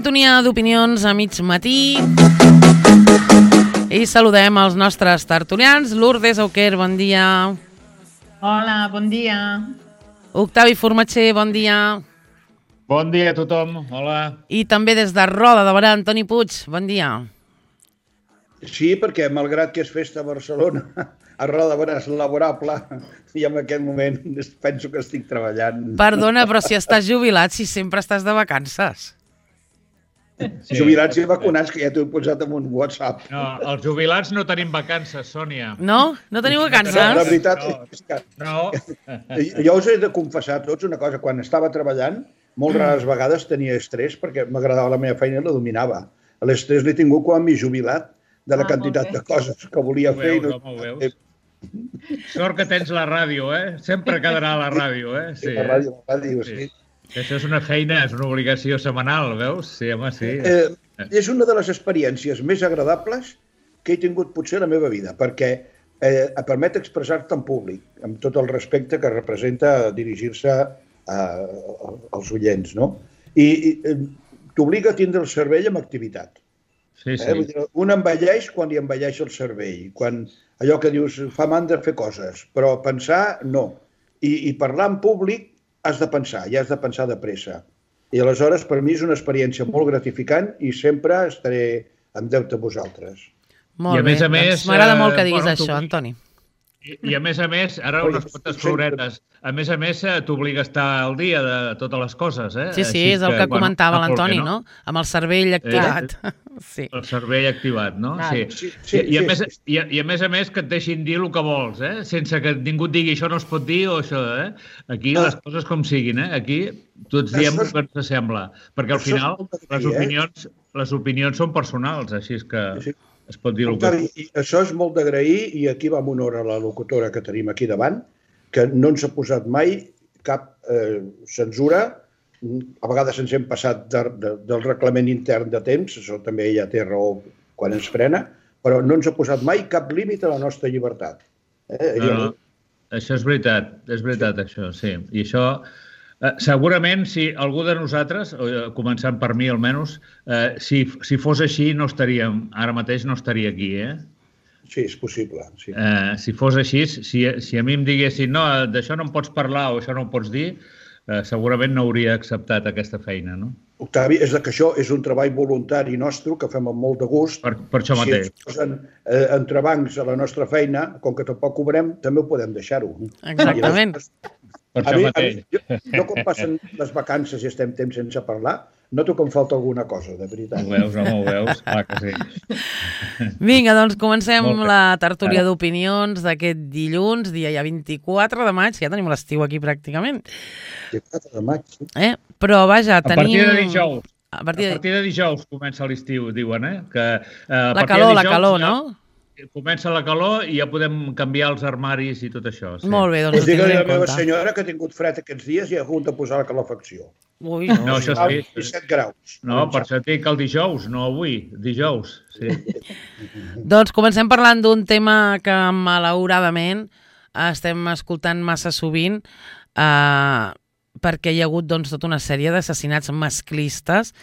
Sintonia d'opinions a mig matí i saludem els nostres tertulians. Lourdes Auquer, bon dia. Hola, bon dia. Octavi Formatxer, bon dia. Bon dia a tothom, hola. I també des de Roda de Berà, Antoni Puig, bon dia. Sí, perquè malgrat que és festa a Barcelona, a Roda de Berà és laborable, i en aquest moment penso que estic treballant. Perdona, però si estàs jubilat, si sempre estàs de vacances. Sí. Jubilats i vacunats, que ja t'ho he posat en un WhatsApp. No, els jubilats no tenim vacances, Sònia. No? No teniu vacances? La veritat és que No. jo us he de confessar a tots una cosa. Quan estava treballant, molt rares vegades tenia estrès perquè m'agradava la meva feina i la dominava. L'estrès l'he tingut quan m'he jubilat de la quantitat de coses que volia fer. Ho veus. Sort que tens la ràdio, Sempre quedarà a la ràdio, Sí, la ràdio, sí. Això és una feina, és una obligació setmanal, veus? Sí, home, sí. És una de les experiències més agradables que he tingut potser a la meva vida, perquè et permet expressar-te en públic, amb tot el respecte que representa dirigir-se als oients, no? I t'obliga a tindre el cervell amb activitat. Sí, sí. Un envelleix quan li envelleix el cervell, quan allò que dius fa mandra fer coses, però pensar no. I parlar en públic has de pensar, i has de pensar de pressa. I aleshores, per mi és una experiència molt gratificant i sempre estaré en deute a vosaltres. Molt bé, doncs m'agrada molt que diguis això, Antoni. I a més, ara unes quantes floretes. A més, t'obliga a estar al dia de totes les coses, Sí, és el que comentava l'Antoni, no? Amb el cervell activat. El cervell activat, no? Sí. I a més que et deixin dir el que vols, sense que ningú et digui això no es pot dir o això, Aquí les coses com siguin, Aquí tots diem el que ens sembla. Perquè al final les opinions són personals, així és que es pot dir el que... Això és molt d'agrair i aquí va amb honor a la locutora que tenim aquí davant, que no ens ha posat mai cap censura. A vegades ens hem passat del reglament intern de temps, això també ella té raó quan ens frena, però no ens ha posat mai cap límit a la nostra llibertat. No, això és veritat, això, sí. I això... Segurament, si algú de nosaltres, començant per mi almenys, si fos així, ara mateix no estaria aquí, Sí, és possible. Sí. Si fos així, si a mi em diguessin no, d'això no en pots parlar o això no ho pots dir, segurament no hauria acceptat aquesta feina, no? Octavi, és que això és un treball voluntari nostre que fem amb molt de gust. Per això mateix. Si ens posen entrebancs a la nostra feina, com que tampoc cobrem, també ho podem deixar-ho. Exactament. Per això mateix. Jo quan passen les vacances i estem temps sense parlar, noto que em falta alguna cosa, de veritat. Ho veus, clar que sí. Vinga, doncs comencem la tertúlia d'opinions d'aquest dilluns, dia ja 24 de maig, ja tenim l'estiu aquí pràcticament. 24 de maig, sí. Però vaja, tenim... A partir de dijous comença l'estiu, diuen, La calor, no? Comença la calor i ja podem canviar els armaris i tot això. Sí. Molt bé, doncs ho tindrem tindrem en compte. en La meva compte. senyora que ha tingut fred aquests dies i ha hagut de posar la calefacció. Ui, No, això sí. 17 graus. No, per això et dic el dijous, no avui, dijous. Sí. Doncs comencem parlant d'un tema que malauradament estem escoltant massa sovint perquè hi ha hagut tota una sèrie d'assassinats masclistes.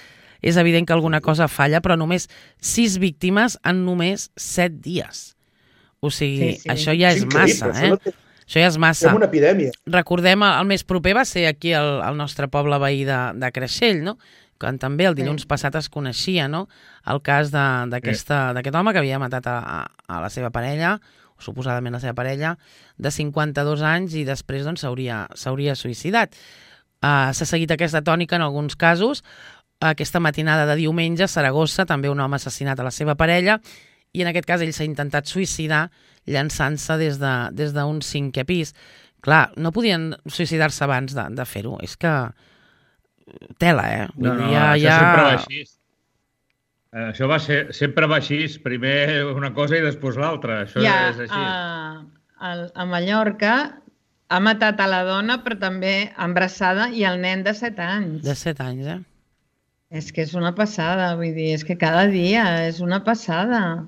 És evident que alguna cosa falla, però només 6 víctimes en només 7 dies. O sigui, això ja és massa, Això ja és massa. És una epidèmia. Recordem, el més proper va ser aquí al nostre poble veí de Creixell, no? Quan també el dilluns passat es coneixia, no? El cas d'aquest home que havia matat a la seva parella, o suposadament la seva parella, de 52 anys i després s'hauria suïcidat. S'ha seguit aquesta tònica en alguns casos. Aquesta matinada de diumenge a Saragossa també un home assassinat a la seva parella i en aquest cas ell s'ha intentat suïcidar llançant-se des d'un 5è pis. Clar, no podien suïcidar-se abans de fer-ho. És que tela, Això sempre va així. Això sempre va així. Primer una cosa i després l'altra. Això és així. A Mallorca ha matat a la dona però també embarassada i el nen de 7 anys. De 7 anys, És que és una passada, vull dir, és que cada dia és una passada.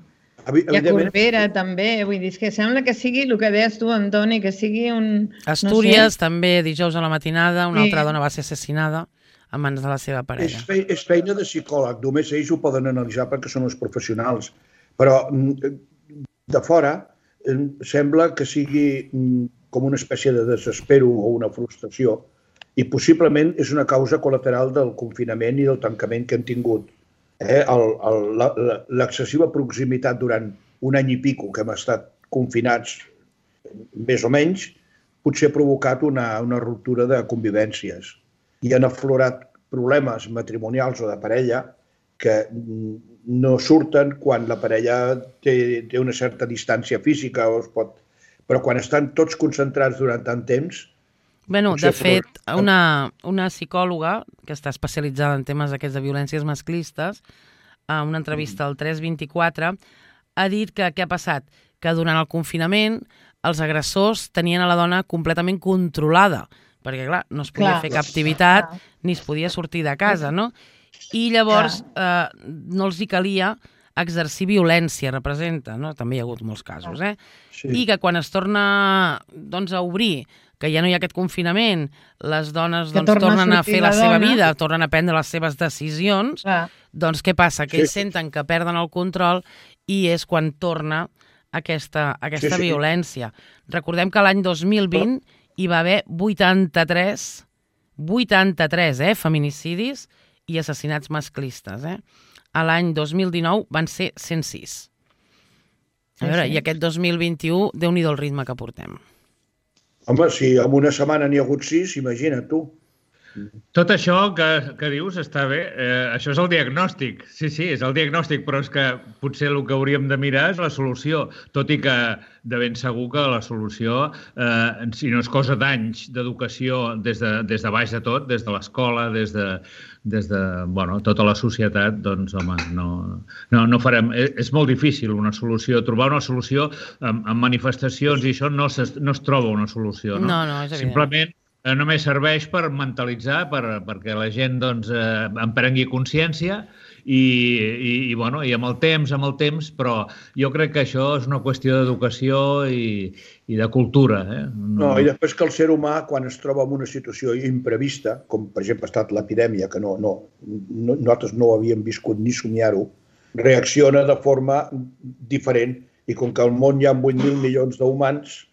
I a Corbera també, vull dir, és que sembla que sigui el que deies tu, Antoni, que sigui un... Astúries també dijous a la matinada, una altra dona va ser assassinada en mans de la seva parella. És feina de psicòleg, només ells ho poden analitzar perquè són els professionals. Però de fora sembla que sigui com una espècie de desespero o una frustració i possiblement és una causa col·lateral del confinament i del tancament que hem tingut. L'excessiva proximitat durant un any i pico que hem estat confinats, més o menys, potser ha provocat una ruptura de convivències i han aflorat problemes matrimonials o de parella que no surten quan la parella té una certa distància física, però quan estan tots concentrats durant tant temps... De fet, una psicòloga que està especialitzada en temes aquests de violències masclistes, a una entrevista al 324, ha dit que què ha passat? Que durant el confinament els agressors tenien a la dona completament controlada, perquè, clar, no es podia fer cap activitat ni es podia sortir de casa, no? I llavors no els hi calia exercir violència, representa, no? També hi ha hagut molts casos, Sí. I que quan es torna a obrir, que ja no hi ha aquest confinament, les dones tornen a fer la seva vida, tornen a prendre les seves decisions, doncs què passa? Que ells senten que perden el control i és quan torna aquesta violència. Recordem que l'any 2020 hi va haver 83 feminicidis i assassinats masclistes. A l'any 2019 van ser 106. A veure, i aquest 2021, Déu-n'hi-do el ritme que portem. Home, si en una setmana n'hi ha hagut 6, imagina't tu. Tot això que dius està bé. Això és el diagnòstic. Sí, és el diagnòstic, però és que potser el que hauríem de mirar és la solució, tot i que de ben segur que la solució, si no és cosa d'anys d'educació des de baix de tot, des de l'escola, des de tota la societat, doncs, home, no farem... És molt difícil una solució. Trobar una solució amb manifestacions i això no es troba una solució. No, és evident. Simplement només serveix per mentalitzar, perquè la gent en prengui consciència i amb el temps, però jo crec que això és una qüestió d'educació i de cultura. No, i després que el ser humà, quan es troba en una situació imprevista, com per exemple ha estat l'epidèmia, que nosaltres no havíem viscut ni somiar-ho, reacciona de forma diferent i com que al món hi ha 8.000 milions d'humans,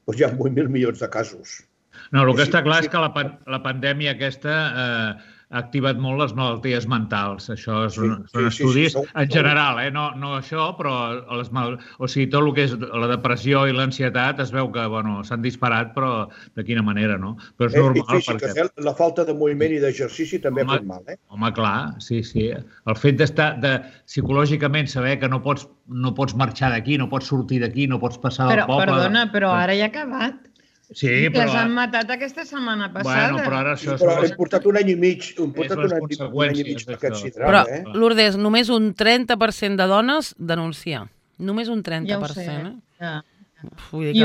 doncs hi ha 8.000 milions de casos. No, el que està clar és que la pandèmia aquesta ha activat molt les malalties mentals. Això són estudis en general, no això, però tot el que és la depressió i l'ansietat es veu que s'han disparat, però de quina manera, no? Però és normal perquè... La falta de moviment i d'exercici també ha fet mal, Home, clar, sí. El fet d'estar, psicològicament, saber que no pots marxar d'aquí, no pots sortir d'aquí, no pots passar del poble... Perdona, però ara ja ha acabat. Sí, però... Les han matat aquesta setmana passada. Bueno, però ara això... Però hem portat un any i mig, aquest sidral. Però, Lourdes, només un 30% de dones denuncia. Només un 30%. Ja ho sé, I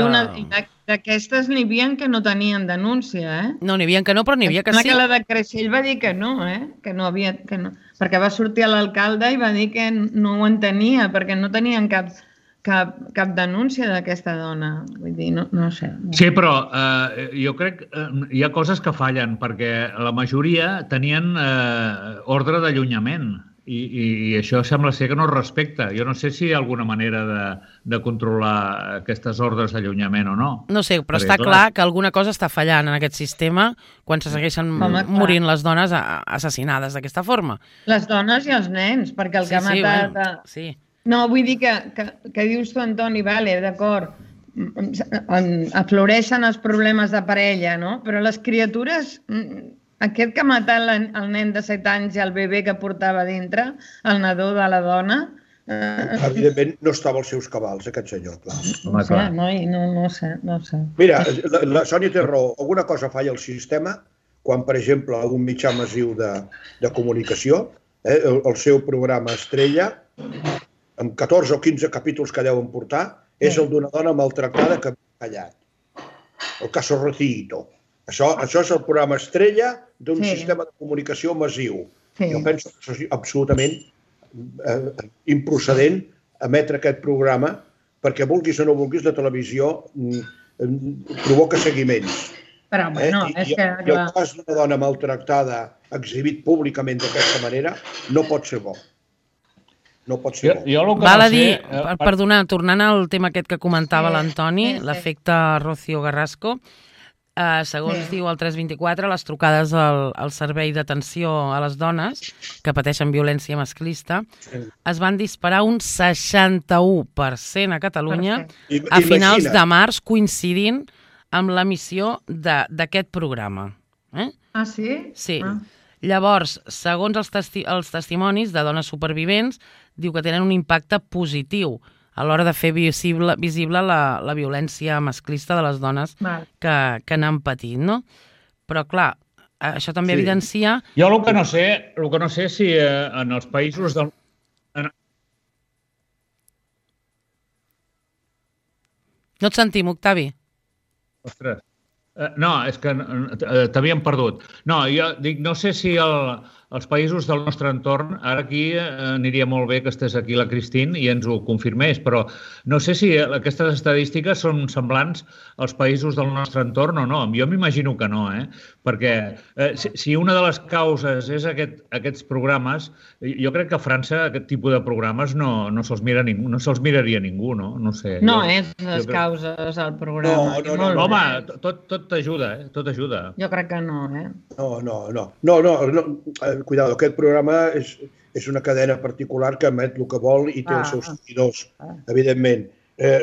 d'aquestes n'hi havia que no tenien denúncia, No, n'hi havia que no, però n'hi havia que sí. Que la de Creixell va dir que no, que no havia... Perquè va sortir l'alcalde i va dir que no ho entenia, perquè no tenien cap denúncia d'aquesta dona. Vull dir, no sé. Sí, però jo crec que hi ha coses que fallen, perquè la majoria tenien ordre d'allunyament i això sembla ser que no es respecta. Jo no sé si hi ha alguna manera de controlar aquestes ordres d'allunyament o no. No sé, però està clar que alguna cosa està fallant en aquest sistema quan se segueixen morint les dones assassinades d'aquesta forma. Les dones i els nens, perquè el que ha matat... Sí. No, vull dir que dius tu, Antoni, vale, d'acord, afloreixen els problemes de parella, no? Però les criatures, aquest que ha matat el nen de 7 anys i el bebè que portava dintre, el nadó de la dona... Evidentment no estava als seus cabals, aquest senyor, clar. No sé. Mira, la Sònia té raó, alguna cosa falla al sistema quan, per exemple, algun mitjà massiu de comunicació, el seu programa estrella, amb 14 o 15 capítols que deuen portar, és el d'una dona maltractada que ha callat. El caso Rocito. Això és el programa estrella d'un sistema de comunicació massiu. Jo penso que és absolutament improcedent emetre aquest programa perquè, vulguis o no vulguis, la televisió provoca seguiments. Però, bueno, és que... I el cas d'una dona maltractada exhibit públicament d'aquesta manera, no pot ser bo. No pot ser bo. Val a dir, perdona, tornant al tema aquest que comentava l'Antoni, l'efecte Rocío Garrasco, segons diu el 324, les trucades al servei d'atenció a les dones que pateixen violència masclista es van disparar un 61% a Catalunya a finals de març, coincidint amb l'emissió d'aquest programa. Ah, sí? Sí. Llavors, segons els testimonis de dones supervivents, diu que tenen un impacte positiu a l'hora de fer visible la violència masclista de les dones que n'han patit, no? Però, clar, això també evidencia... Jo el que no sé si en els països del... No et sentim, Octavi. Ostres. No, és que t'havíem perdut. No, jo dic, no sé si els països del nostre entorn, ara aquí aniria molt bé que estés aquí la Christine i ens ho confirmés, però no sé si aquestes estadístiques són semblants als països del nostre entorn o no. Jo m'imagino que no, perquè si una de les causes és aquests programes, jo crec que a França aquest tipus de programes no se'ls miraria ningú, no? No sé. No és les causes al programa. No, home, tot t'ajuda, tot ajuda. Jo crec que no, No. Cuidado, aquest programa és una cadena particular que emet el que vol i té els seus seguidors, evidentment.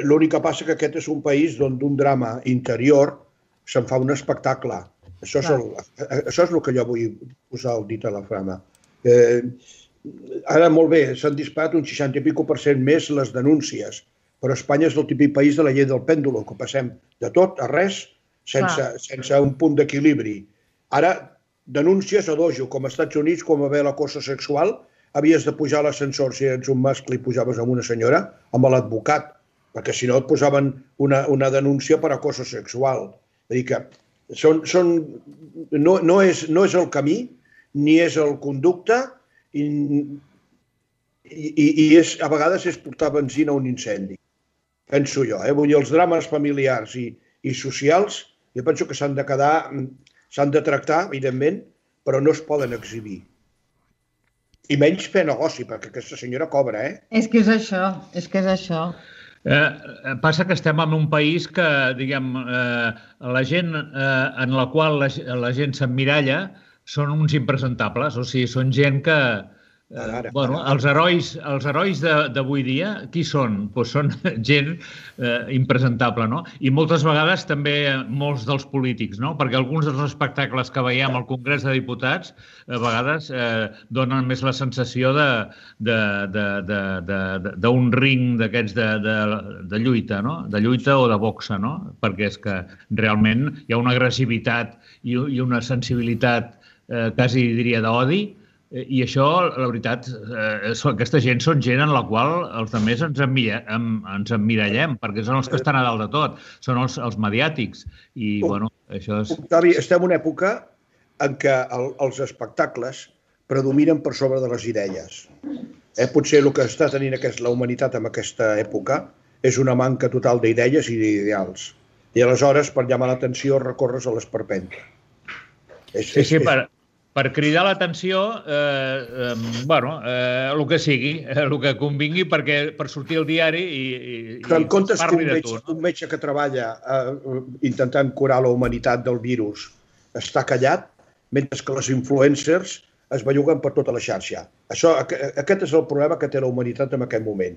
L'únic que passa que aquest és un país on d'un drama interior se'n fa un espectacle. Això és el que jo vull posar el dit a la flama. Ara, molt bé, s'han disparat un 60 i pico % més les denúncies, però Espanya és el típic país de la llei del pèndulo, que passem de tot a res sense un punt d'equilibri. Ara, denúncies a dojo, com als Estats Units, com va haver l'acoso sexual, havies de pujar a l'ascensor si ets un mascle i pujaves amb una senyora, amb l'advocat, perquè si no et posaven una denúncia per acoso sexual. Vull dir que no és el camí, ni és el conducte, i a vegades és portar benzina a un incendi. Penso jo, Vull dir, els drames familiars i socials, jo penso que s'han de tractar, evidentment, però no es poden exhibir. I menys fer negoci, perquè aquesta senyora cobra, És que és això. Passa que estem en un país que, diguem, la gent en la qual la gent s'emmiralla són uns impresentables, o sigui, són gent que... Els herois d'avui dia, qui són? Doncs són gent impresentable, no? I moltes vegades també molts dels polítics, no? Perquè alguns dels espectacles que veiem al Congrés de Diputats a vegades donen més la sensació d'un ring d'aquests de lluita, no? De lluita o de boxa, no? Perquè és que realment hi ha una agressivitat i una sensibilitat quasi diria d'odi. I això, la veritat, aquesta gent són gent en la qual els altres ens emmirallem, perquè són els que estan a dalt de tot, són els mediàtics. I, bueno, això és... Octavi, estem en una època en què els espectacles predominen per sobre de les idees. Potser el que està tenint la humanitat en aquesta època és una manca total d'idees i d'ideals. I aleshores, per llamar l'atenció, recorres a l'esperpent. Sí, per cridar l'atenció, el que sigui, el que convingui per sortir al diari i parli de tu. Un metge que treballa intentant curar la humanitat del virus està callat, mentre que les influencers es belluguen per tota la xarxa. Aquest és el problema que té la humanitat en aquest moment.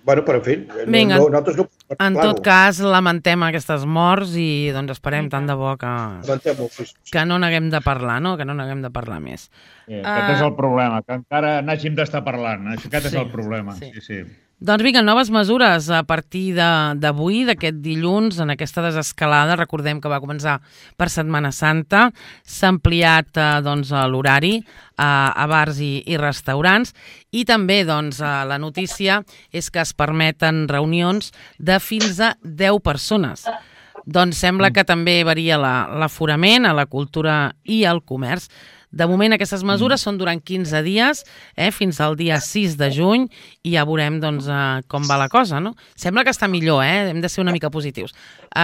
Bueno, però en fi, nosaltres no... En tot cas, lamentem aquestes morts i doncs esperem tant de bo que no n'haguem de parlar, no? Que no n'haguem de parlar més. Aquest és el problema, que encara n'hàgim d'estar parlant. Aquest és el problema, sí. Doncs vinga, noves mesures a partir d'avui, d'aquest dilluns, en aquesta desescalada. Recordem que va començar per Setmana Santa. S'ha ampliat l'horari a bars i restaurants i també la notícia és que es permeten reunions de fins a 10 persones. Doncs sembla que també varia l'aforament a la cultura i al comerç. De moment, aquestes mesures són durant 15 dies, fins al dia 6 de juny, i ja veurem com va la cosa, no? Sembla que està millor, hem de ser una mica positius.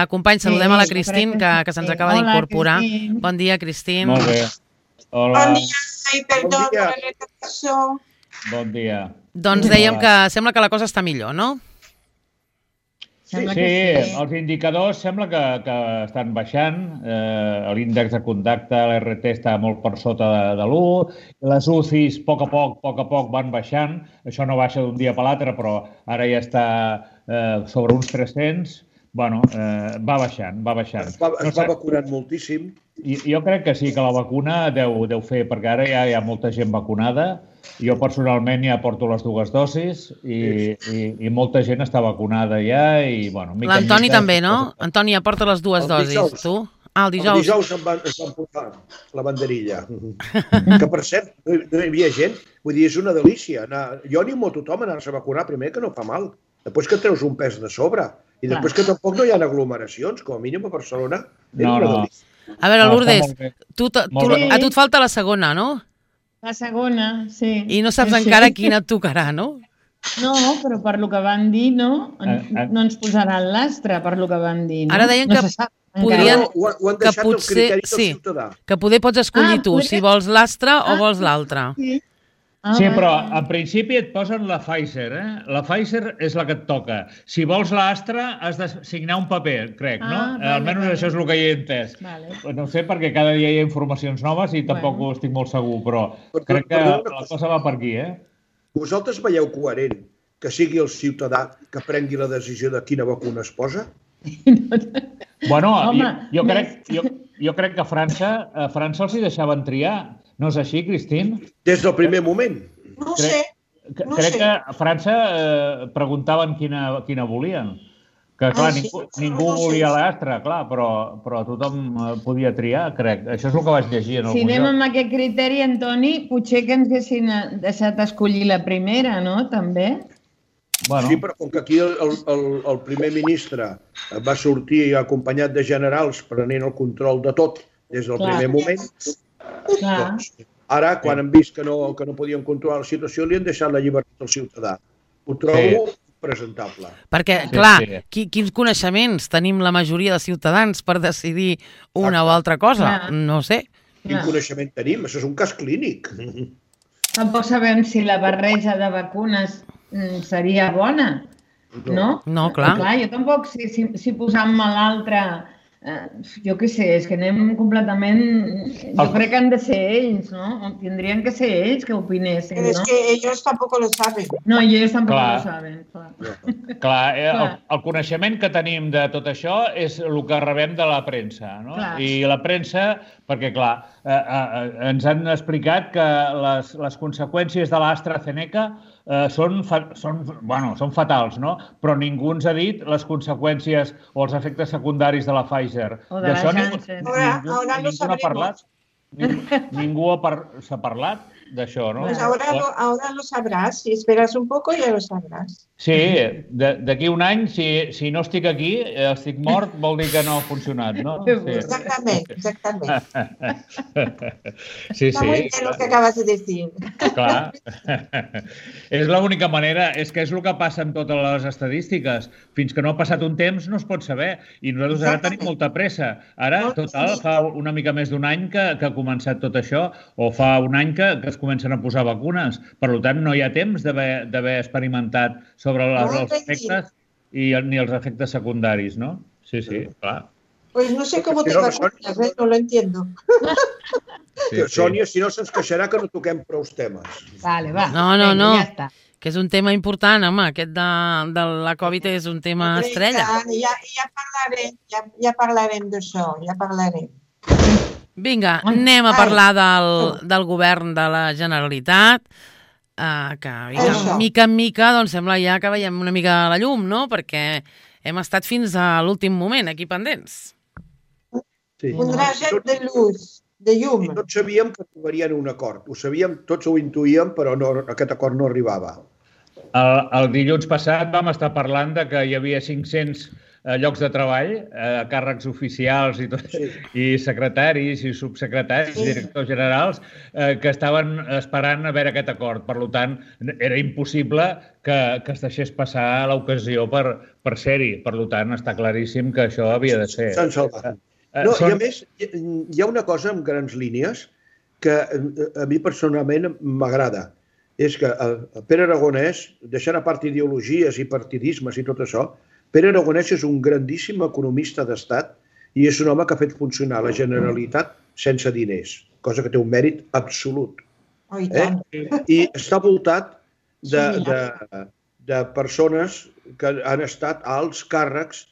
Companys, saludem a la Christine, que se'ns acaba d'incorporar. Bon dia, Christine. Molt bé. Hola. Bon dia, i perdó per la retracció. Bon dia. Doncs dèiem que sembla que la cosa està millor, no? Sí, els indicadors sembla que estan baixant. L'índex de contacte, l'RT, està molt per sota de l'1. Les UCIs, a poc van baixant. Això no baixa d'un dia per l'altre, però ara ja està sobre uns 300. Bueno, va baixant. Es va vacunant moltíssim. Jo crec que sí, que la vacuna deu fer, perquè ara ja hi ha molta gent vacunada. Jo personalment ja porto les 2 dosis i molta gent està vacunada ja. L'Antoni també, no? Antoni ja porta les 2 dosis, tu? El dijous. El dijous em van posar la banderilla. Que, per cert, no hi havia gent. Vull dir, és una delícia. Jo animo a tothom a anar-se a vacunar, primer que no fa mal. Després que treus un pes de sobre. I després que tampoc no hi ha aglomeracions, com a mínim a Barcelona. No. A veure, Lourdes, a tu et falta la segona, no? La segona, sí. I no saps encara quina et tocarà, no? No, però per lo que van dir, no ens posaran l'astre, per lo que van dir. Ara deien que podrien... Ho han deixat el criteri del ciutadà. Que poder pots escollir tu, si vols l'astre o vols l'altre. Sí, però en principi et posen la Pfizer, La Pfizer és la que et toca. Si vols l'Astra, has de signar un paper, crec, no? Almenys això és el que hi he entès. No sé, perquè cada dia hi ha informacions noves i tampoc ho estic molt segur, però crec que la cosa va per aquí, Vosaltres veieu coherent que sigui el ciutadà que prengui la decisió de quina vacuna es posa? Bueno, jo crec que a França els hi deixaven triar. No és així, Cristín? Des del primer moment. No sé. Crec que a França preguntaven quina volien. Que, clar, ningú volia l'Astra, clar, però tothom podia triar, crec. Això és el que vaig llegir en algun lloc. Si anem amb aquest criteri, Antoni, potser que ens haguessin deixat escollir la primera, no?, també. Sí, però com que aquí el primer ministre va sortir acompanyat de generals prenent el control de tot des del primer moment, doncs, ara, quan han vist que no podien controlar la situació, li han deixat la llibertat al ciutadà. Ho trobo presentable. Perquè, clar, quins coneixements tenim la majoria de ciutadans per decidir una o altra cosa? No sé. Quin coneixement tenim? Això és un cas clínic. Tampoc sabem si la barreja de vacunes seria bona, no? No, clar. Jo tampoc, si posant-me l'altra... Jo què sé, és que anem completament... Jo crec que han de ser ells, no? Tindrien que ser ells que opinessin, no? Però és que ells tampoc lo saben. No, ells tampoc lo saben, clar. El coneixement que tenim de tot això és el que rebem de la premsa, no? I la premsa, perquè, clar, ens han explicat que les conseqüències de l'AstraZeneca són fatals, no? Però ningú ens ha dit les conseqüències o els efectes secundaris de la Pfizer. O de la Janssen. Ningú n'ha parlat. Ningú s'ha parlat d'això, ¿no? Pues ahora lo sabrás. Si esperas un poco ya lo sabrás. Sí, d'aquí un any, si no estic aquí, estic mort, vol dir que no ha funcionat, no? Sí. Exactament. Sí. Está muy bien lo que acabas de decir. Clar. És l'única manera, és que és el que passa amb totes les estadístiques. Fins que no ha passat un temps no es pot saber. I nosaltres ara tenim molta pressa. Ara, total, fa una mica més d'un any que ha començat tot això, o fa un any que es comencen a posar vacunes. Per tant, no hi ha temps d'haver experimentat sobre els efectes ni els efectes secundaris, ¿no? Sí, clar. Pues no sé cómo te vacunas, no lo entiendo. Sònia, si no se'ns queixarà que no toquem prou temes. Vale, va. No, que és un tema important, home, aquest de la Covid és un tema estrella. Ja parlarem d'això, ja parlarem. Vinga, anem a parlar del govern de la Generalitat, que mica en mica sembla ja que veiem una mica la llum, no? Perquè hem estat fins a l'últim moment aquí pendents. Un raget de luz, de llum. Tots sabíem que trobarien un acord. Ho sabíem, tots ho intuïem, però aquest acord no arribava. El dilluns passat vam estar parlant de que hi havia 500 llocs de treball, càrrecs oficials i secretaris i subsecretaris, directors generals, que estaven esperant a veure aquest acord. Per tant, era impossible que es deixés passar l'ocasió per ser-hi. Per tant, està claríssim que això havia de ser. S'han salvat. No, i a més, hi ha una cosa en grans línies que a mi personalment m'agrada. És que Pere Aragonès, deixant a part ideologies i partidismes i tot això, Pere Aragonès és un grandíssim economista d'estat i és un home que ha fet funcionar la Generalitat sense diners, cosa que té un mèrit absolut. I està voltat de persones que han estat a alts càrrecs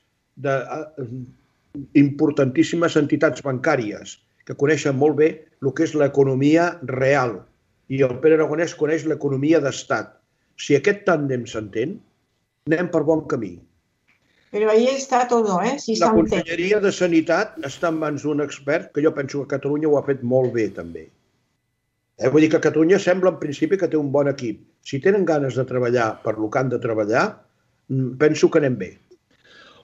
d'importantíssimes entitats bancàries que coneixen molt bé el que és l'economia real. I el Pere Aragonès coneix l'economia d'estat. Si aquest tàndem s'entén, anem per bon camí. Però ahí està tot, Si la Conselleria de Sanitat està en mans d'un expert que jo penso que Catalunya ho ha fet molt bé, també. Vull dir que Catalunya sembla en principi que té un bon equip. Si tenen ganes de treballar per lo que han de treballar, penso que anem bé.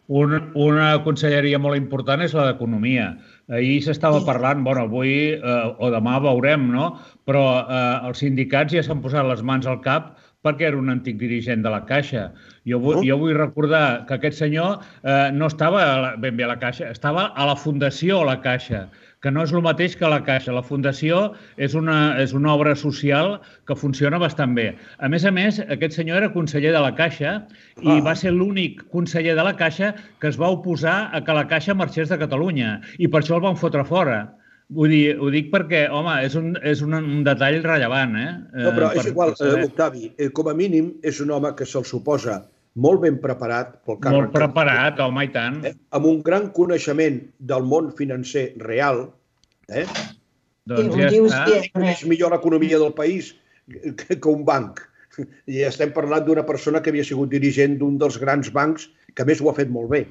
Una conselleria molt important és la d'Economia. Ahir s'estava parlant, avui o demà veurem, no? Però els sindicats ja s'han posat les mans al cap perquè era un antic dirigent de la Caixa. Jo vull recordar que aquest senyor no estava ben bé a la Caixa, estava a la Fundació La Caixa, que no és el mateix que la Caixa. La Fundació és una obra social que funciona bastant bé. A més, aquest senyor era conseller de la Caixa i va ser l'únic conseller de la Caixa que es va oposar a que la Caixa marxés de Catalunya i per això el van fotre fora. Ho dic perquè, home, és un detall rellevant, No, però és igual, Octavi, com a mínim és un home que se'l suposa molt ben preparat pel càrrec. Molt preparat, home, i tant. Amb un gran coneixement del món financer real. Doncs ja està. És millor l'economia del país que un banc. I estem parlant d'una persona que havia sigut dirigent d'un dels grans bancs que a més ho ha fet molt bé.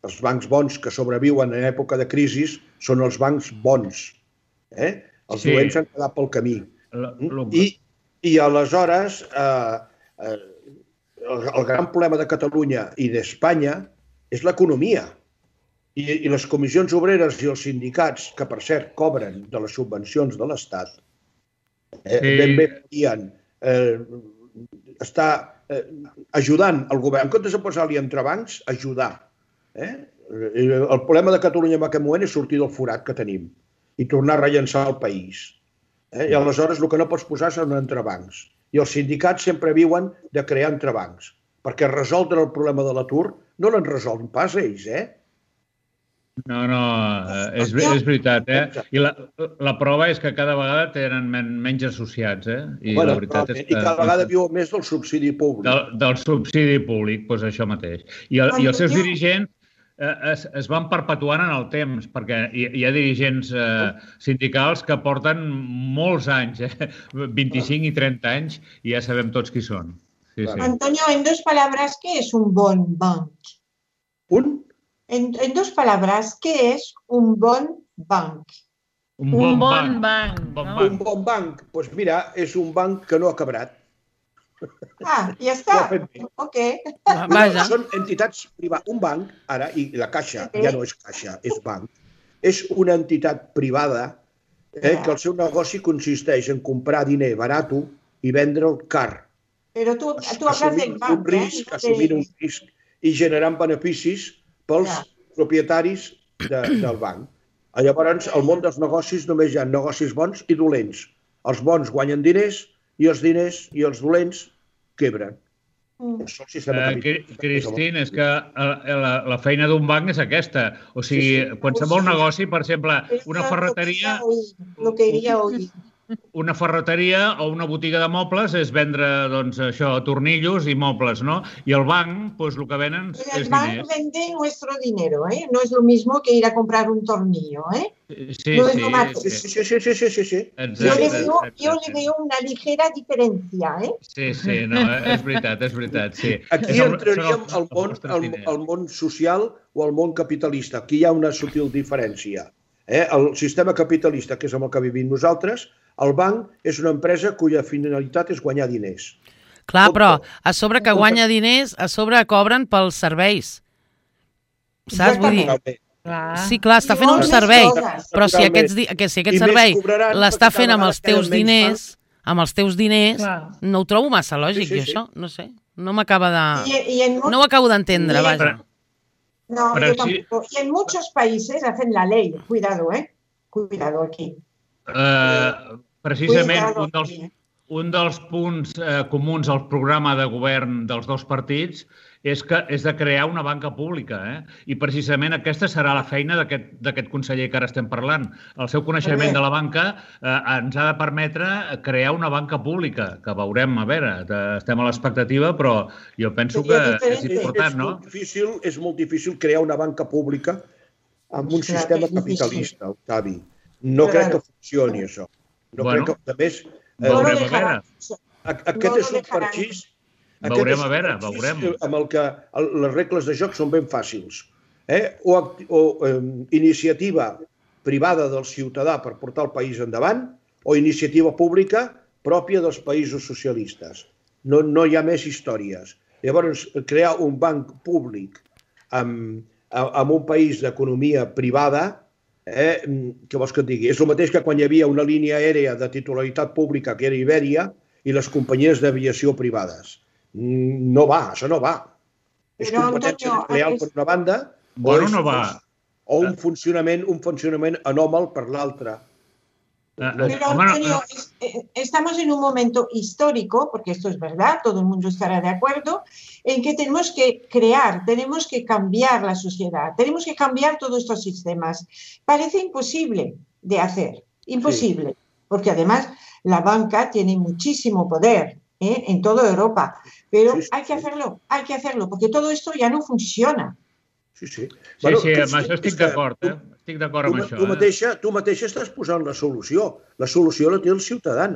Els bancs bons que sobreviuen en època de crisi són els bancs bons. Els dolents han quedat pel camí. I aleshores el gran problema de Catalunya i d'Espanya és l'economia. I les comissions obreres i els sindicats, que per cert cobren de les subvencions de l'Estat, ben bé podien estar ajudant el govern. En comptes de posar-li entrebancs, ajudar. El problema de Catalunya en aquest moment és sortir del forat que tenim i tornar a rellençar el país. I aleshores el que no pots posar són entrebancs. I els sindicats sempre viuen de crear entrebancs, perquè resoldre el problema de l'atur no l'han resolt pas ells, No, és veritat, I la prova és que cada vegada tenen menys associats, I la veritat és que... I cada vegada viuen més del subsidi públic. Del subsidi públic, doncs això mateix. I els seus dirigents es van perpetuant en el temps, perquè hi ha dirigents sindicals que porten molts anys, 25 i 30 anys, i ja sabem tots qui són. Antonio, en dos palabras, ¿qué es un bon banc? En dos palabras, ¿qué es un bon banc? Un bon banc. Un bon banc, doncs mira, és un banc que no ha quebrat. Ja està. Ok. Són entitats privades. Un banc, ara, i la Caixa, ja no és Caixa, és banc, és una entitat privada que el seu negoci consisteix en comprar diner barat i vendre'l car. Però tu hablas del banc, assumint un risc i generant beneficis pels propietaris del banc. Llavors, al món dels negocis només hi ha negocis bons i dolents. Els bons guanyen diners i els diners i els dolents quebren. Cristín, és que la feina d'un banc és aquesta. O sigui, qualsevol negoci, per exemple, una ferreteria... Lo que iria oír. Una ferreteria o una botiga de mobles és vendre, doncs, això, tornillos i mobles, no? I el banc, doncs, el que venen és diners. El banc vende nuestro dinero, No es lo mismo que ir a comprar un tornillo, Sí. No es lo mateix. Sí. Yo le veo una ligera diferencia, Sí, no, és veritat, sí. Aquí entraríem al món social o al món capitalista. Aquí hi ha una sutil diferència. El sistema capitalista, que és amb el que vivim nosaltres, el banc és una empresa cuya finalitat és guanyar diners. Clar, però a sobre que guanya diners, a sobre cobren pels serveis. Saps? Vull dir... Sí, clar, està fent un servei, però si aquest servei l'està fent amb els teus diners, no ho trobo massa lògic, jo això, no sé. No m'acaba de... No ho acabo d'entendre, vaja. No, yo tampoco. Y en muchos países hacen la ley. Cuidado, Cuidado aquí. Precisament un dels punts comuns al programa de govern dels dos partits és de crear una banca pública. I precisament aquesta serà la feina d'aquest conseller que ara estem parlant. El seu coneixement de la banca ens ha de permetre crear una banca pública, que veurem, a veure, estem a l'expectativa, però jo penso que és important, no? És molt difícil crear una banca pública amb un sistema capitalista, Octavi. No crec que funcioni, això. No crec que, a més... Veurem, a veure. Aquest és un parxís... Veurem, a veure, veurem. Amb el que les regles de joc són ben fàcils. O iniciativa privada del ciutadà per portar el país endavant o iniciativa pública pròpia dels països socialistes. No hi ha més històries. Llavors, crear un banc públic en un país d'economia privada, què vols que et digui? És el mateix que quan hi havia una línia aèria de titularitat pública, que era Ibèria, i les companyies d'aviació privades. No va, això no va. És competència desleal per una banda o un funcionament anòmal per l'altra. Pero, Antonio, estamos en un momento histórico, porque esto es verdad, todo el mundo estará de acuerdo, en que tenemos que crear, tenemos que cambiar la sociedad, tenemos que cambiar todos estos sistemas. Parece imposible de hacer, imposible, porque además la banca tiene muchísimo poder en toda Europa, pero hay que hacerlo, porque todo esto ya no funciona. Sí, amb això estic d'acord, estic d'acord amb això. Tu mateixa estàs posant la solució. La solució la té el ciutadà.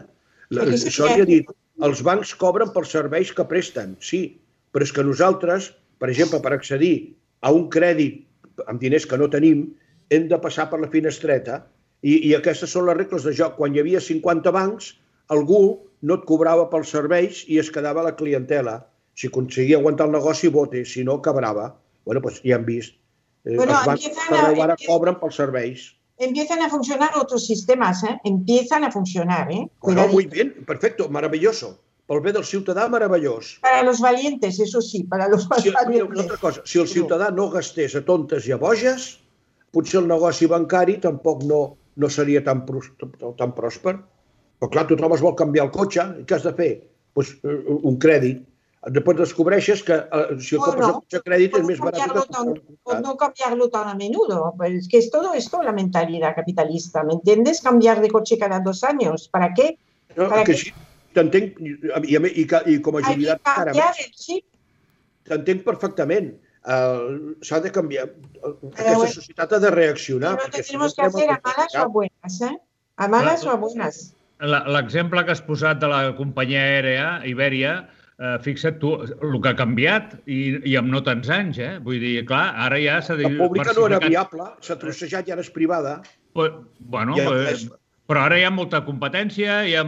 Això li ha dit, els bancs cobren pels serveis que presten, sí, però és que nosaltres, per exemple, per accedir a un crèdit amb diners que no tenim, hem de passar per la finestreta i aquestes són les regles de joc. Quan hi havia 50 bancs, algú no et cobrava pels serveis i es quedava la clientela. Si aconseguia aguantar el negoci, vote, si no, cabrava. Bueno, pues ya han visto. Els bancs ahora cobran por serveis. Empiezan a funcionar otros sistemas, empiezan a funcionar. Bueno, muy bien, perfecto, maravilloso. Pel bé del ciutadà, meravellós. Para los valientes, eso sí, para los valientes. Una altra cosa, si el ciutadà no gastés a tontes i a boges, potser el negoci bancari tampoc no seria tan pròsper. Però clar, tu trobes vol canviar el cotxe, i què has de fer? Pues un crèdit. Després descobreixes que si el compres el cotxe a crèdit és més barat que... No cambiarlo tan a menudo. Es que es todo esto la mentalidad capitalista, ¿me entiendes? Cambiar de coche cada 2 años. ¿Para qué? Que sí, t'entenc, i com a jubilat encara més. T'entenc perfectament. S'ha de canviar. Aquesta societat ha de reaccionar. Pero tenemos que hacer a malas o a buenas, A malas o a buenas. L'exemple que has posat de la companyia aèria, Ibèria, fixa't tu, el que ha canviat i amb no tants anys, Vull dir, clar, ara ja s'ha diversificat... La pública no era viable, s'ha trossejat i ara és privada. Bueno, però ara hi ha molta competència, hi ha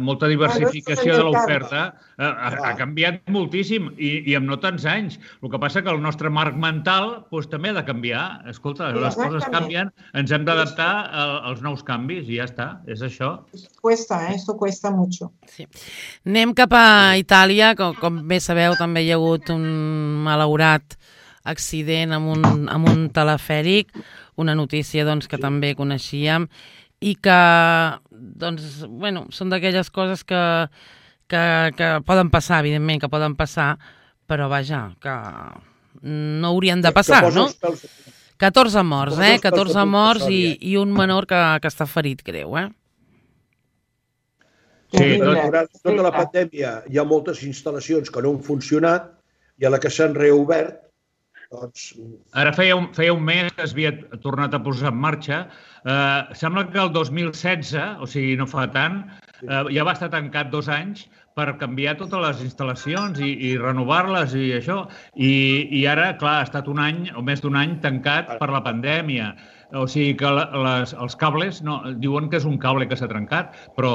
molta diversificació de l'oferta. Ha canviat moltíssim i amb no tants anys. El que passa que el nostre marc mental també ha de canviar. Escolta, les coses canvien, ens hem d'adaptar als nous canvis i ja està, és això. Esto cuesta mucho. Anem cap a Itàlia, com bé sabeu també hi ha hagut un malaurat accident amb un telefèric, una notícia que també coneixíem i que són d'aquelles coses que poden passar, evidentment, que poden passar, però vaja, que no haurien de passar, no? 14 morts, 14 morts i un menor que està ferit greu, Sí, durant la pandèmia hi ha moltes instal·lacions que no han funcionat i a la que s'han reobert. Ara feia un mes que es havia tornat a posar en marxa. Sembla que el 2016, o sigui, no fa tant, ja va estar tancat 2 anys per canviar totes les instal·lacions i renovar-les i això. I ara, clar, ha estat un any o més d'un any tancat per la pandèmia. O sigui que els cables, diuen que és un cable que s'ha trencat, però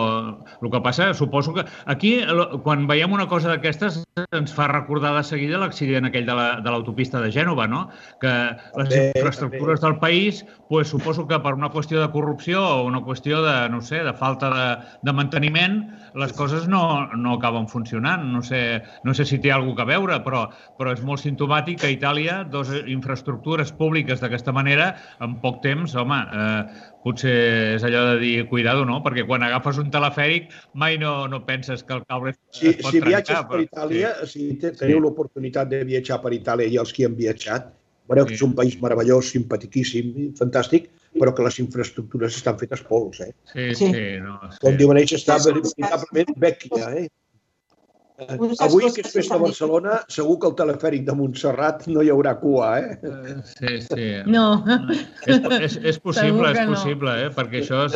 el que passa, suposo que... Aquí, quan veiem una cosa d'aquestes, ens fa recordar de seguida l'accident aquell de l'autopista de Gènova, no? Que les infraestructures del país, suposo que per una qüestió de corrupció o una qüestió de, no sé, de falta de manteniment, les coses no no acaben funcionant. No sé si té alguna cosa a veure, però és molt simptomàtic que a Itàlia dues infraestructures públiques d'aquesta manera, en poc temps, home, potser és allò de dir, cuidado, no? Perquè quan agafes un telefèric mai no penses que el cable es pot trencar. Si viatges per Itàlia, si teniu l'oportunitat de viatjar per Itàlia i els que han viatjat, veureu que és un país meravellós, simpatiquíssim, fantàstic, però que les infraestructures estan fetes pols, Sí. Com diuen ells, està veritablement vèquia, Avui, que és festa a Barcelona, segur que el telefèric de Montserrat no hi haurà cua, Sí. No. És possible, perquè això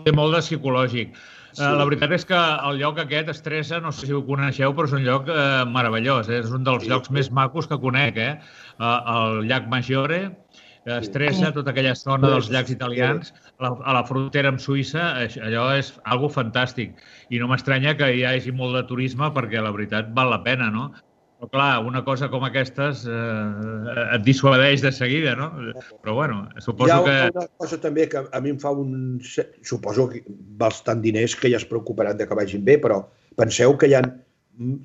té molt de psicològic. La veritat és que el lloc aquest, Stresa, no sé si ho coneixeu, però és un lloc meravellós. És un dels llocs més macos que conec, el llac Maggiore, Stresa, tota aquella zona dels llacs italians, a la frontera amb Suïssa, allò és algo fantàstic. I no m'estranya que hi hagi molt de turisme perquè la veritat val la pena, no? Però clar, una cosa com aquestes et dissuadeix de seguida, no? Però bueno, suposo que... Hi ha una cosa també que a mi em fa suposo que bastant diners que ja es preocuparan de que vagin bé, però penseu que hi ha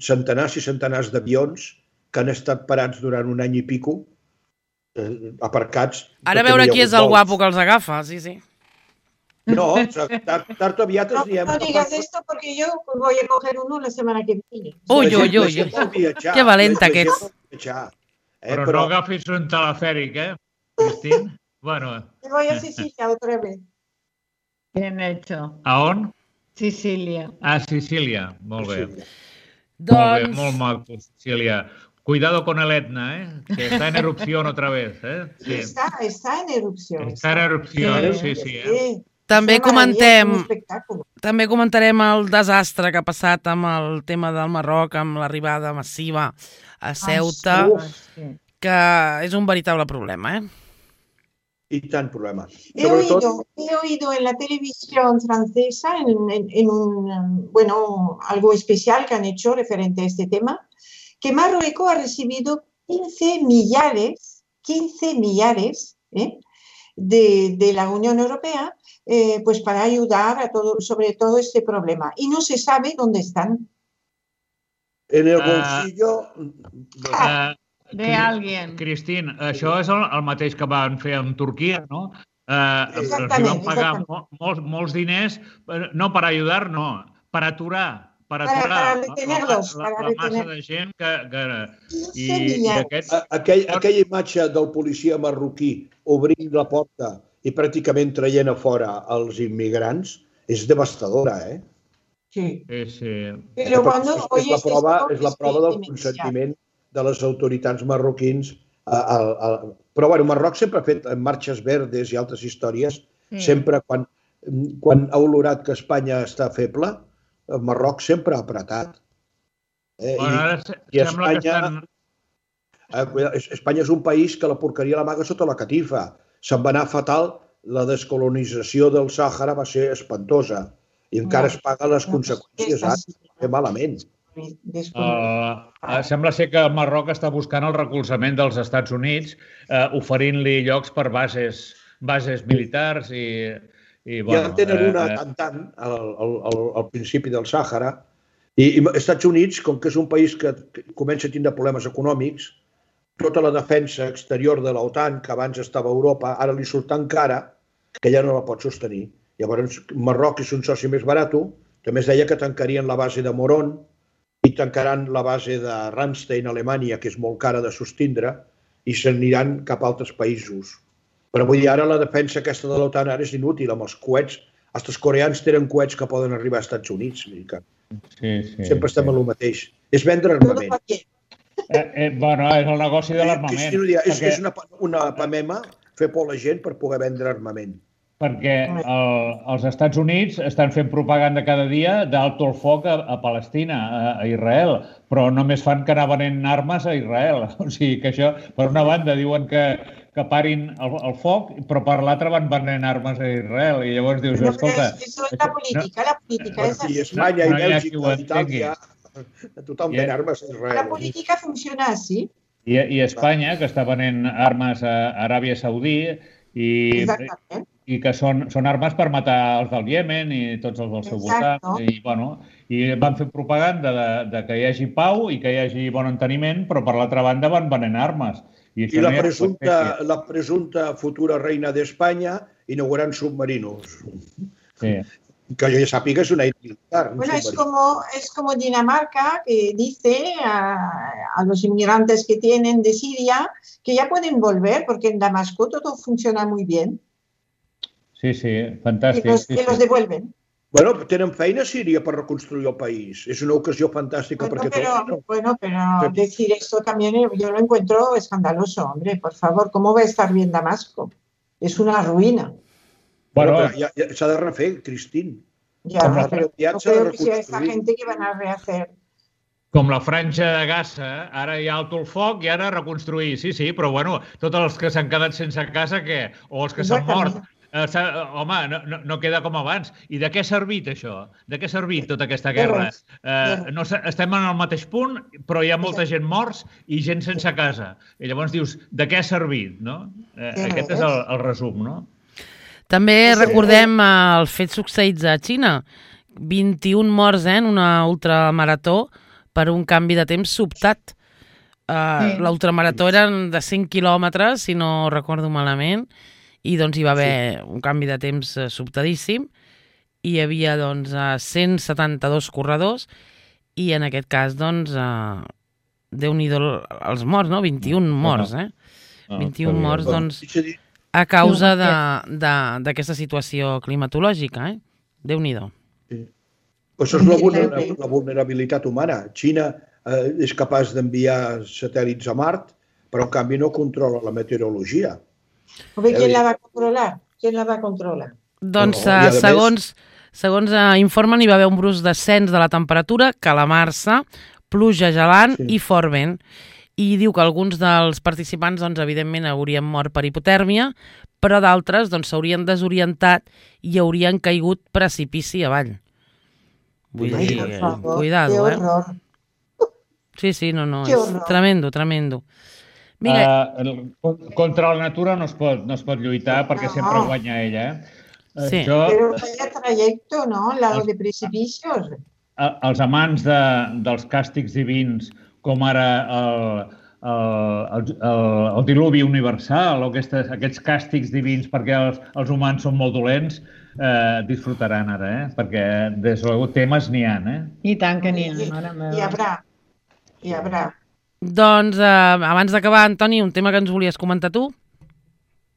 centenars i centenars d'avions que han estat parats durant un any i pico, aparcats... Ara a veure qui és el guapo que els agafa, sí. No, tard o aviat ens diem... No digas esto porque yo voy a coger uno la semana que viene. Uy. Que valenta que ets. Però no agafis un telefèric, Cristín? Bueno... Me voy a Sicilia otra vez. Bien hecho. A on? Sicília. A Sicília, molt bé. Doncs... Molt maco, Sicília. Cuidado con el Etna, que está en erupción otra vez. Sí. Está en erupción. Está en erupción, sí. També comentarem el desastre que ha passat amb el tema del Marroc, amb l'arribada massiva a Ceuta, que és un veritable problema, Y tan problema. He oído en la televisión francesa, en algo especial que han hecho referente a este tema, que Marruecos ha recibido 15 millares de la Unión Europea pues para ayudar sobre todo este problema. Y no se sabe dónde están. En el bolsillo... de alguien. Cristín, això és el mateix que van fer amb Turquia, no? Els van pagar molts diners, no per ajudar, no, per aturar. Para retenerlos. La massa de gent Aquella imatge del policia marroquí obrint la porta i pràcticament traient a fora els immigrants és devastadora, Sí. Però és la prova del consentiment de les autoritats marroquins. Però, bueno, Marroc sempre ha fet marxes verdes i altres històries, sempre quan ha olorat que Espanya està feble, Marroc sempre ha apretat. I Espanya és un país que la porqueria l'amaga sota la catifa. Se'n va anar fatal, la descolonització del Sàhara va ser espantosa i encara es paguen les conseqüències ara, malament. Sembla ser que el Marroc està buscant el recolzament dels Estats Units, oferint-li llocs per bases militars i... Ja en tenen una tant al principi del Sàhara i els Estats Units, com que és un país que comença a tindre problemes econòmics, tota la defensa exterior de l'OTAN, que abans estava a Europa, ara li surt tan cara que ja no la pot sostenir. Llavors, Marroc és un soci més barat, també es deia que tancarien la base de Moron i tancaran la base de Ramstein, Alemanya, que és molt cara de sostindre, i s'aniran cap a altres països. Però vull dir, ara la defensa aquesta de l'OTAN ara és inútil, amb els coets. Els coreans tenen coets que poden arribar als Estats Units. Sempre estem en el mateix. És vendre armament. Bueno, és el negoci de l'armament. És una pamema fer por a la gent per poder vendre armament. Perquè els Estats Units estan fent propaganda cada dia d'alto el foc a Palestina, a Israel, però només fan que anar venent armes a Israel. O sigui que això, per una banda, diuen que parin el foc, però per l'altra van venent armes a Israel. I llavors dius, escolta... Això és la política és així. Espanya i Bèlgica, Itàlia, tothom ven armes a Israel. La política funciona així. I Espanya, que està venent armes a Aràbia Saudí, i i que són armes per matar els del Iemen i tots els del seu voltant. I van fer propaganda de que hi hagi pau i que hi hagi bon enteniment, però per l'altra banda van venent armes. I la presunta futura reina d'Espanya inaugurant submarinos. Sí. Que yo ya sàpiga es una militar. Bueno, es como Dinamarca, que dice a los inmigrantes que tienen de Siria que ya pueden volver porque en Damasco todo funciona muy bien. Sí, fantàstic. Y los devuelven. Bueno, tenen feina a Síria per reconstruir el país. És una ocasió fantàstica perquè todos. Bueno, pero decir esto también yo lo encuentro escandaloso, hombre, por favor. ¿Cómo va a estar bien Damasco? Es una ruïna. Bueno, ja s'ha de refer, Cristín. Ja, però no creo que sea esta gente que van a rehacer. Com la franja de Gaza, ara hi ha alto el foc i ara reconstruir. Sí, però bueno, tots els que s'han quedat sense casa, què? O els que s'han mort. Home, no queda com abans. I de què ha servit això? De què ha servit tota aquesta guerra? Estem en el mateix punt, però hi ha molta gent morts i gent sense casa. I llavors dius, de què ha servit? Aquest és el resum, no? També recordem els fets succeïts a Xina. 21 morts en una ultramarató per un canvi de temps sobtat. L'ultramarató eren de 100 quilòmetres, si no recordo malament, i doncs hi va haver un canvi de temps sobtadíssim. Hi havia 172 corredors i en aquest cas, Déu-n'hi-do els morts, no? 21 morts, 21 morts, a causa d'aquesta situació climatològica, Déu-n'hi-do. Això és la vulnerabilitat humana. Xina és capaç d'enviar satèl·lits a Mart, però en canvi no controla la meteorologia. ¿Quién la va a controlar? ¿Quién la va a controlar? Doncs, segons informen, hi va haver un brusc descens de la temperatura, calamarsa, pluja gelant i fort vent. I diu que alguns dels participants, evidentment, haurien mort per hipotèrmia, però d'altres s'haurien desorientat i haurien caigut precipici avall. Vull dir, cuidado, Sí, no, és tremendo. Contra la natura no es pot lluitar perquè sempre guanya ella. Sí. Però vaya trajecto, ¿no? Al lado de precipicios. Els amants dels càstigs divins, com ara el diluvi universal o aquests càstigs divins perquè els humans són molt dolents, disfrutaran ara, perquè des de luego temes n'hi ha. I tant que n'hi ha, mare meva. Hi haurà. Doncs, abans d'acabar, Antoni, un tema que ens volies comentar tu?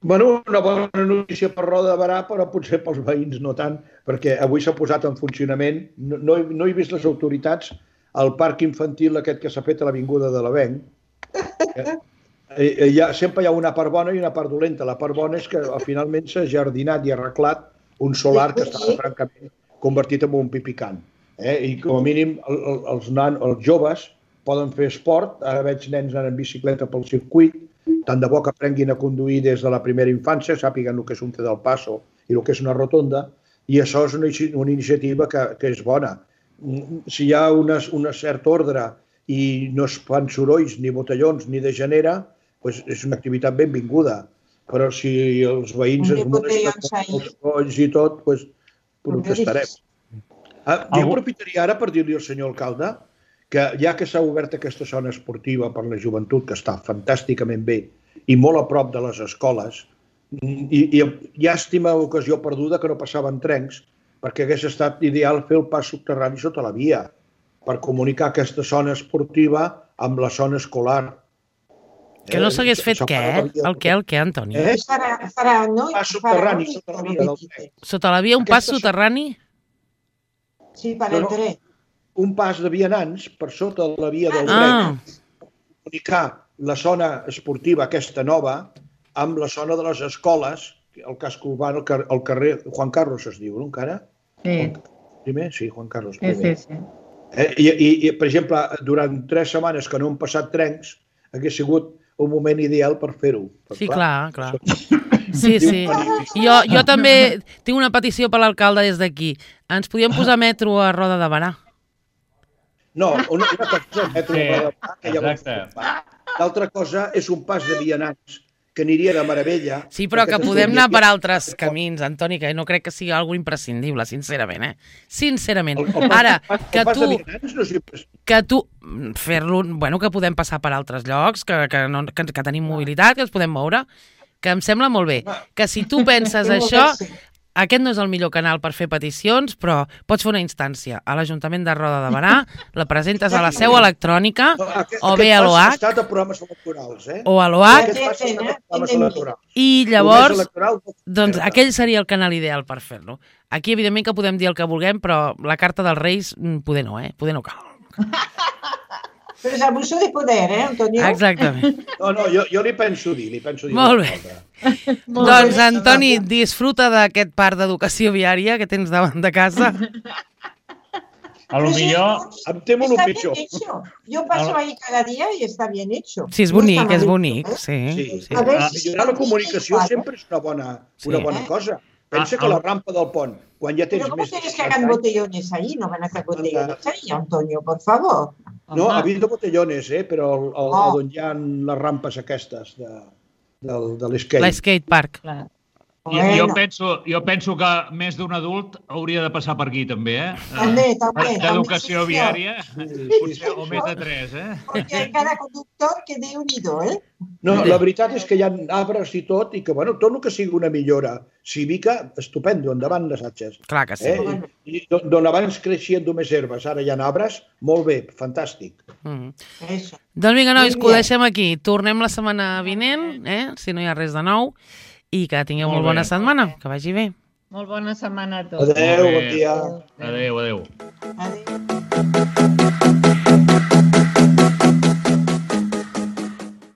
Bueno, una bona notícia per Roda de Berà, però potser pels veïns no tant, perquè avui s'ha posat en funcionament, no he vist les autoritats, el parc infantil aquest que s'ha fet a l'Avinguda de l'Avenc. Sempre hi ha una part bona i una part dolenta. La part bona és que finalment s'ha jardinat i arreglat un solar que estava francament convertit en un pipicant. I com a mínim els joves poden fer esport. Ara veig nens anant en bicicleta pel circuit, tant de bo que aprenguin a conduir des de la primera infància, sàpiguen el que és un té del passo i el que és una rotonda, i això és una iniciativa que és bona. Si hi ha un cert ordre i no es fan sorolls, ni botellons, ni degenera, és una activitat benvinguda. Però si els veïns es molesten els sorolls i tot, protestarem. Jo aprofitaria ara per dir-li al senyor alcalde que ja que s'ha obert aquesta zona esportiva per la joventut, que està fantàsticament bé i molt a prop de les escoles, i llàstima ocasió perduda que no passaven trens, perquè hagués estat ideal fer el pas subterrani sota la via per comunicar aquesta zona esportiva amb la zona escolar. Que no s'hagués fet què? El què, Antoni? Pas subterrani sota la via del tren. Sota la via, un pas soterrani? Sí, per el tren. Un pas de vianants per sota la via del tren. Comunicar la zona esportiva aquesta nova amb la zona de les escoles, el casc urbà, el carrer Juan Carlos es diu, no encara? Sí. Primer? Sí, Juan Carlos. Sí. I, per exemple, durant 3 setmanes que no han passat trens, hagués sigut un moment ideal per fer-ho. Sí, clar. Sí. Jo també tinc una petició per l'alcalde des d'aquí. Ens podíem posar metro a Roda de Berà? No, una cosa és el metro a Roda de Berà, que ja l'altra cosa és un pas de vianants que aniria de meravella. Sí, però que podem anar per altres camins, Antoni, que no crec que sigui algo imprescindible, sincerament, Sincerament. Ara, que tu fer-lo, bueno, que podem passar per altres llocs, que tenim mobilitat, que ens podem moure, que em sembla molt bé. Que si tu penses això, aquest no és el millor canal per fer peticions, però pots fer una instància a l'Ajuntament de Roda de Berà, la presentes a la seu electrònica, o bé a l'OH, o a l'OH, i llavors, doncs aquell seria el canal ideal per fer-lo. Aquí, evidentment, que podem dir el que vulguem, però la carta dels Reis, poder no, poder no cal. Però és abuso de poder, Antonio? Exactament. No, jo li penso dir. Molt bé. Doncs, Antoni, disfruta d'aquest parc d'educació viària que tens davant de casa. A lo millor... Em temo el pitjor. Yo paso ahí cada dia i està bien hecho. Sí, és bonic, sí. Millorar la comunicació sempre és una bona cosa. Pensa que la rampa del pont, quan ja tens més... Però com quieres que hagan botellones ahí? No van a hacer botellones ahí, Antonio, por favor. No, ha habido botellones, però on hi ha les rampes aquestes de l'skate. L'skate park. Jo penso que més d'un adult hauria de passar per aquí, també, També. D'educació viària, potser, o més de 3, Perquè cada conductor que Déu-n'hi-do, No, la veritat és que hi ha arbres i tot, i que, bueno, tot el que sigui una millora cívica, estupendo, endavant les atxes. Clar que sí. I d'on abans creixien només herbes, ara hi ha arbres, molt bé, fantàstic. Doncs vinga, nois, que ho deixem aquí. Tornem la setmana vinent, si no hi ha res de nou, i que tingueu molt bona setmana, que vagi bé. Molt bona setmana a tots. Adéu, bon dia. Adéu. Adéu.